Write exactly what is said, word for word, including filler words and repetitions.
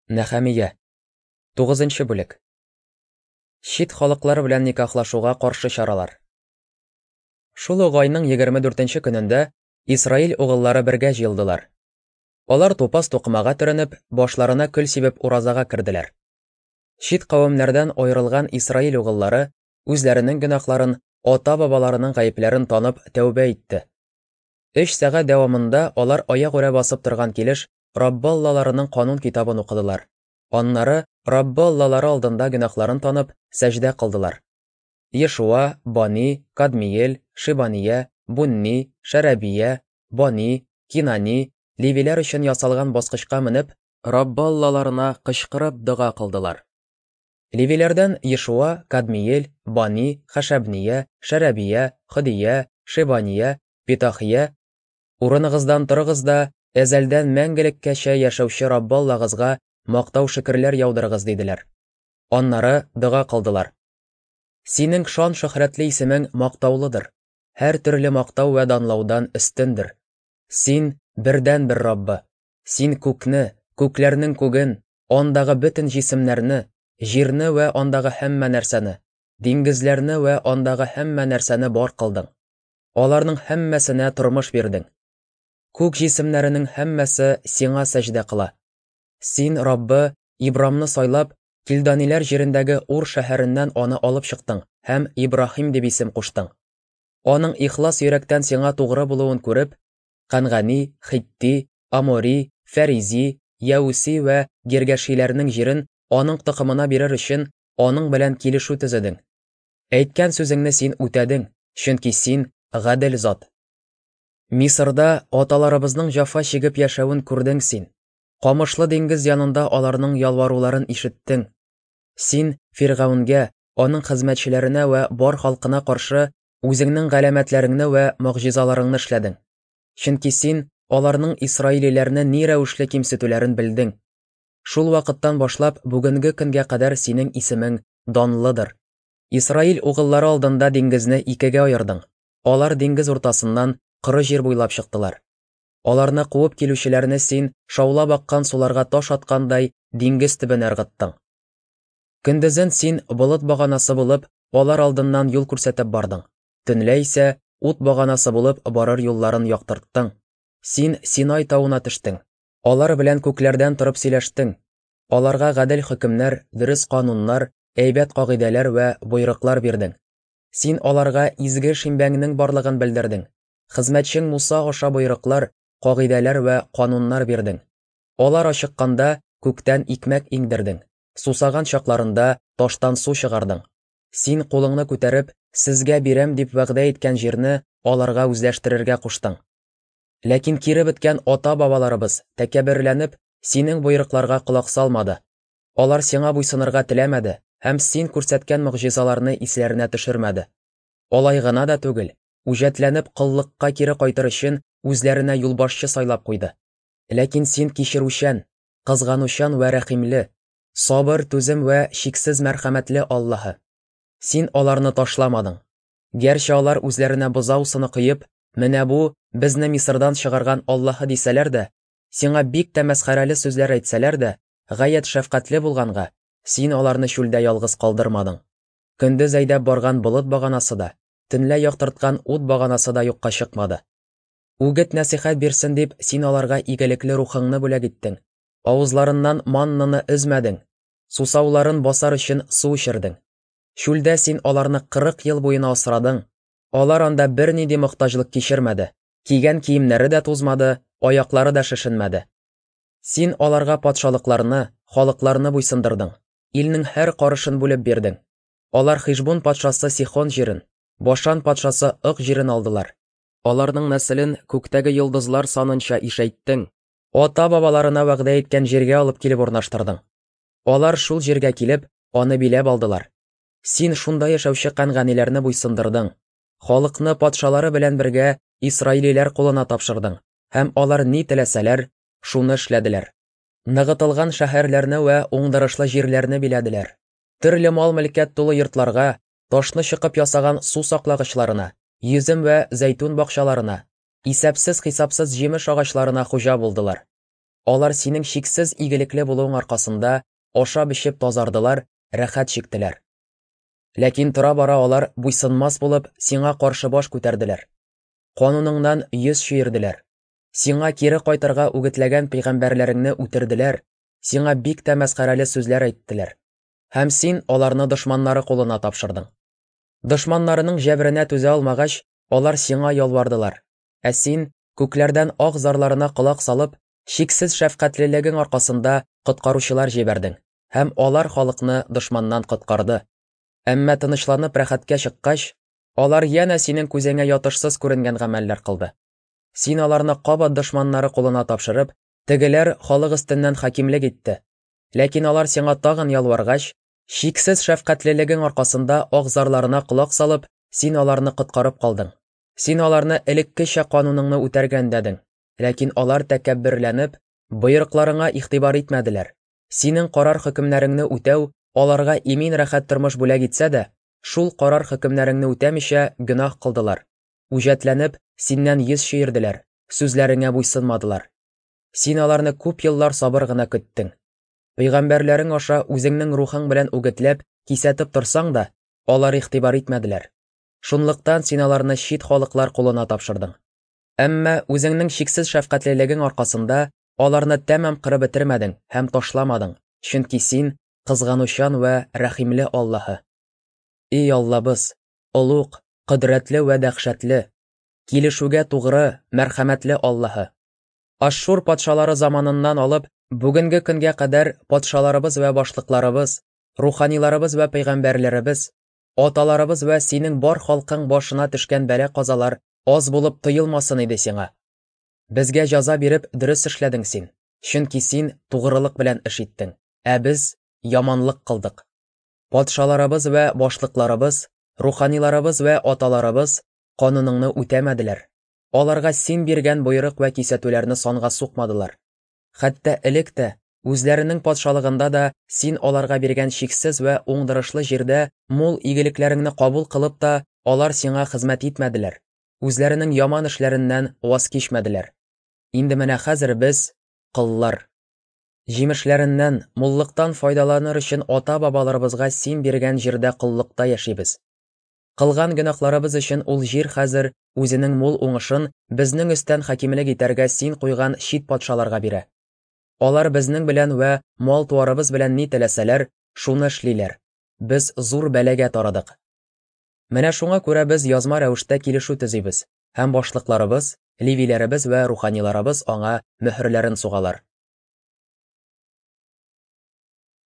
Нәхәмия. Тугызынчы бүлек. Чит халыклар белән никахлашуга каршы чаралар. Шул ук айның егерме дүртенче көнендә Исраил угыллары бергә җыелдылар. Алар тупас тукымага төренеп, башларына көл сибеп уразага керделәр. Чит кавемнәрдән аерылган Исраил угыллары үзләренең гөнаһларын, ата-бабаларының гаепләрен танып тәүбә итте. Өч сәгать дәвамында алар аягүрә басып торган килеш Раббы Аллаларының канун китабын укыдылар. Аннары Раббы Аллалары алдында гөнаһларын танып, сәҗдә кылдылар. Ешуа, Бани, Кадмиел, Шибания, Бунни, Шәрәбия, Бани, Кинани, Левиләр өчен ясалган баскычка менеп, Раббы Аллаларына кычкырып дога кылдылар. Левиләрдән Ешуа, Кадмиел, Бани, Хәшәбния, Шәрәбия, Хөдия, Шибания, Питахия, урыныгыздан торыгыз да, әзәлдән мәңгелеккәчә яшәүче Раббы Аллагызга мактау шөкерләр яудырыгыз, диделәр. Аннары дога кылдылар. Синең шан шөһрәтле исемең мактаулыдыр, һәр төрле мактау вә данлаудан өстендер. Син бердән-бер Раббы. Син күкне, күкләрнең күген, андагы бөтен җисемнәрне, җирне вә андагы һәммә нәрсәне, диңгезләрне вә андагы һәммә нәрсәне бар кылдың. Аларның һәммәсенә тормыш бирдең. Күк җисемнәренең һәммәсе сиңа сәҗдә кыла. Син, Раббы, Ибрамны сайлап, Килданиләр җирендәге Ур шәһәреннән аны алып чыктың һәм Ибраһим дип исем куштың. Аның ихлас йөрәктән сиңа тугры булуын күреп, Кангани, Хитти, Амори, Фәризи, Яуси вә Гергәшиләрнең җирен аның токымына бирер өчен аның белән килешү төзедең. Әйткән сүзеңне син үтәдең, чөнки син гадел зат. Мисырда аталарыбызның җафа чигеп яшәвен күрдең син. Камышлы диңгез янында аларның ялваруларын ишеттең. Син Фиргавенгә, аның хезмәтчеләренә вә бар халкына каршы үзеңнең галәмәтләреңне вә могҗизаларыңны эшләдең. Чөнки син аларның исраилиләрне ни рәвешле кимсетүләрен белдең. Шул вакыттан башлап бүгенге көнгә кадәр синең исемең данлыдыр. Исраил угыллары алдында диңгезне икегә аердың. Алар диңгез уртасыннан коры җир буйлап чыктылар. Аларны куып килүчеләрне син шаулап аккан суларга таш аткандай диңгез төбенә ыргыттың. Көндезен син болыт баганасы булып, алар алдыннан юл күрсәтеп бардың. Төнлә исә ут баганасы булып барыр юлларын яктырттың. Син Синай тавына төштең. Алар белән күкләрдән торып сөйләштең. Аларга гадел хөкемнәр, дөрес кануннар, әйбәт кагыйдәләр вә боерыклар бирдең. Син аларга изге шимбәңнең барлыгын белдердең. Хезмәтчең Муса аша боерыклар, кагыйдәләр вә кануннар бирдең. Алар ачыкканда күктән икмәк иңдердең. Сусаган чакларында таштан су чыгардың. Син кулыңны күтәреп, сезгә бирәм дип вәгъдә иткән җирне аларга үзләштерергә куштың. Ләкин кире беткән ата-бабаларыбыз тәкәбберләнеп, синең боерыкларга колак салмады. Алар сиңа буйсынырга теләмәде һәм син күрсәткән могҗизаларны исләренә төшермәде. Алай гына да түгел, үҗәтләнеп коллыкка кире кайтыр өчен үзләренә юлбашчы сайлап куйды. Ләкин син кичерүчән, кызганучан вә рәхимле, сабыр, түзем вә чиксез мәрхәмәтле Аллаһы. Син аларны ташламадың. Гәрчә алар үзләренә бозау сыны коеп, менә бу безне Мисырдан чыгарган Аллаһы дисәләр дә, сиңа бик тә мәсхәрәле сүзләр әйтсәләр дә, гаять шәфкатьле булганга, син аларны чүлдә ялгыз калдырмадың. Көндез әйдәп барган болыт баганасы да, төнлә яктырткан ут баганасы да юкка чыкмады. Үгет нәсихәт бирсен дип, син аларга игелекле рухыңны бүләк иттең. Авызларыннан маннаны өзмәдең. Сусауларын басар өчен су эчердең. Чүлдә син аларны кырык ел буена асрадың. Алар анда бернинди мохтаҗлык кичермәде. Кигән киемнәре дә тузмады, аяклары да шешенмәде. Син аларга патшалыкларны, халыкларны буйсындырдың. Илнең һәр карышын бүлеп бирдең. Алар Хишбун патшасы Сихон җирен, Башан патшасы Ык җирен алдылар. Аларның нәселен күктәге йолдызлар санынча ишәйттең. Ата-бабаларына вәгъдә иткән җиргә алып килеп урнаштырдың. Алар шул җиргә килеп, аны биләп алдылар. Син шунда яшәүче канганиләрне буйсындырдың. Халыкны патшалары белән бергә исраилиләр кулына тапшырдың һәм алар ни теләсәләр, шуны эшләделәр. Ныгытылган шәһәрләрне вә уңдырышлы җирләрне биләделәр. Төрле мал-мөлкәт тулы йортларга, ташны чыкып ясаган су саклагычларына, йөзем вә зәйтүн бакчаларына, исәпсез-хисапсыз җимеш агачларына хуҗа булдылар. Алар синең чиксез игелекле булуың аркасында ашап-эчеп тазардылар, рәхәт чиктеләр. Ләкин тора-бара алар буйсынмас булып, сиңа каршы баш күтәрделәр. Кануныңнан йөз чөерделәр. Сиңа кире кайтырга үгетләгән пәйгамбәрләреңне үтерделәр, сиңа бик тә мәсхәрәле сүзләр әйттеләр. Һәм син аларны дошманнары кулына тапшырдың. Дошманнарының җәберенә түзә алмагач, алар сиңа ялвардылар. Ә син, күкләрдән ак зарларына колак салып, чиксез шәфкатьлелегең аркасында коткаручылар җибәрдең, һәм алар халыкны дошманнан коткарды. Әмма тынычланып рәхәткә чыккач, алар янә синең күзеңә ятышсыз күренгән гамәлләр кылды. Син аларны кабат дошманнары кулына тапшырып, тегеләр халык өстеннән хакимлек итте. Ләкин алар сиңа тагын ялваргач, чиксез шәфкатьлелегең аркасында ак зарларына колак салып, син аларны коткарып калдың. Син аларны элеккечә кануныңны үтәргә өндәдең. Ләкин алар тәкәбберләнеп, боерыкларыңа игътибар итмәделәр. Синең карар хөкемнәреңне үтәү аларга имин рәхәт тормыш бүләк итсә дә, шул карар хөкемнәреңне үтәмичә гөнаһ кылдылар. Үҗәтләнеп, синнән йөз чөерделәр, сүзләреңә буйсынмадылар. Син аларны күп еллар сабыр гына көттең. Пәйгамбәрләрең аша үзеңнең рухың белән үгетләп, кисәтеп торсаң да, алар игътибар итмәделәр. Шунлыктан син аларны чит халыклар кулына тапшырдың. Әмма үзеңнең чиксез шәфкатьлелегең аркасында аларны тәмам кырып бетермәдең һәм ташламадың, чөнки син кызганучан вә рәхимле Аллаһы. Эй Аллабыз, олуг, кодрәтле вә дәһшәтле, килешүгә тугры, мәрхәмәтле Аллаһы. Ашшур патшалары заманыннан алып, бүгенге көнгә кадәр патшаларыбыз вә башлыкларыбыз, руханиларыбыз вә пәйгамбәрләребез, аталарыбыз вә синең бар халкың башына төшкән бәла-казалар аз булып тоелмасын иде сиңа. Безгә җәза биреп дөрес эшләдең син, чөнки син тугрылык белән эш иттең, ә без яманлык кылдык. Патшаларыбыз вә башлыкларыбыз, руханиларыбыз вә аталарыбыз кануныңны үтәмәделәр. Аларга син биргән боерык вә кисәтүләрне санга сукмадылар. Хәтта элек тә, үзләренең патшалыгында да син аларга биргән чиксез вә уңдырышлы җирдә мул игелекләреңне кабул кылып та, алар сиңа хезмәт итмәделәр. Үзләренең яман эшләреннән ваз кичмәделәр. Инде менә хәзер без коллар. Җимешләреннән, муллыктан файдаланыр өчен ата-бабаларыбызга син биргән җирдә коллыкта яшибез. Кылган гөнаһларыбыз өчен ул җир хәзер үзенең мул уңышын безнең өстән хакимлек итәргә син куйган чит патшаларга бирә. Алар безнең белән вә мал-туарыбыз белән ни теләсәләр, шуны эшлиләр. Без зур бәлагә тарыдык. Менә шуңа күрә без язма рәвештә килешү төзибез, һәм башлыкларыбыз, левиләребез вә руханиларыбыз аңа мөһерләрен сугалар.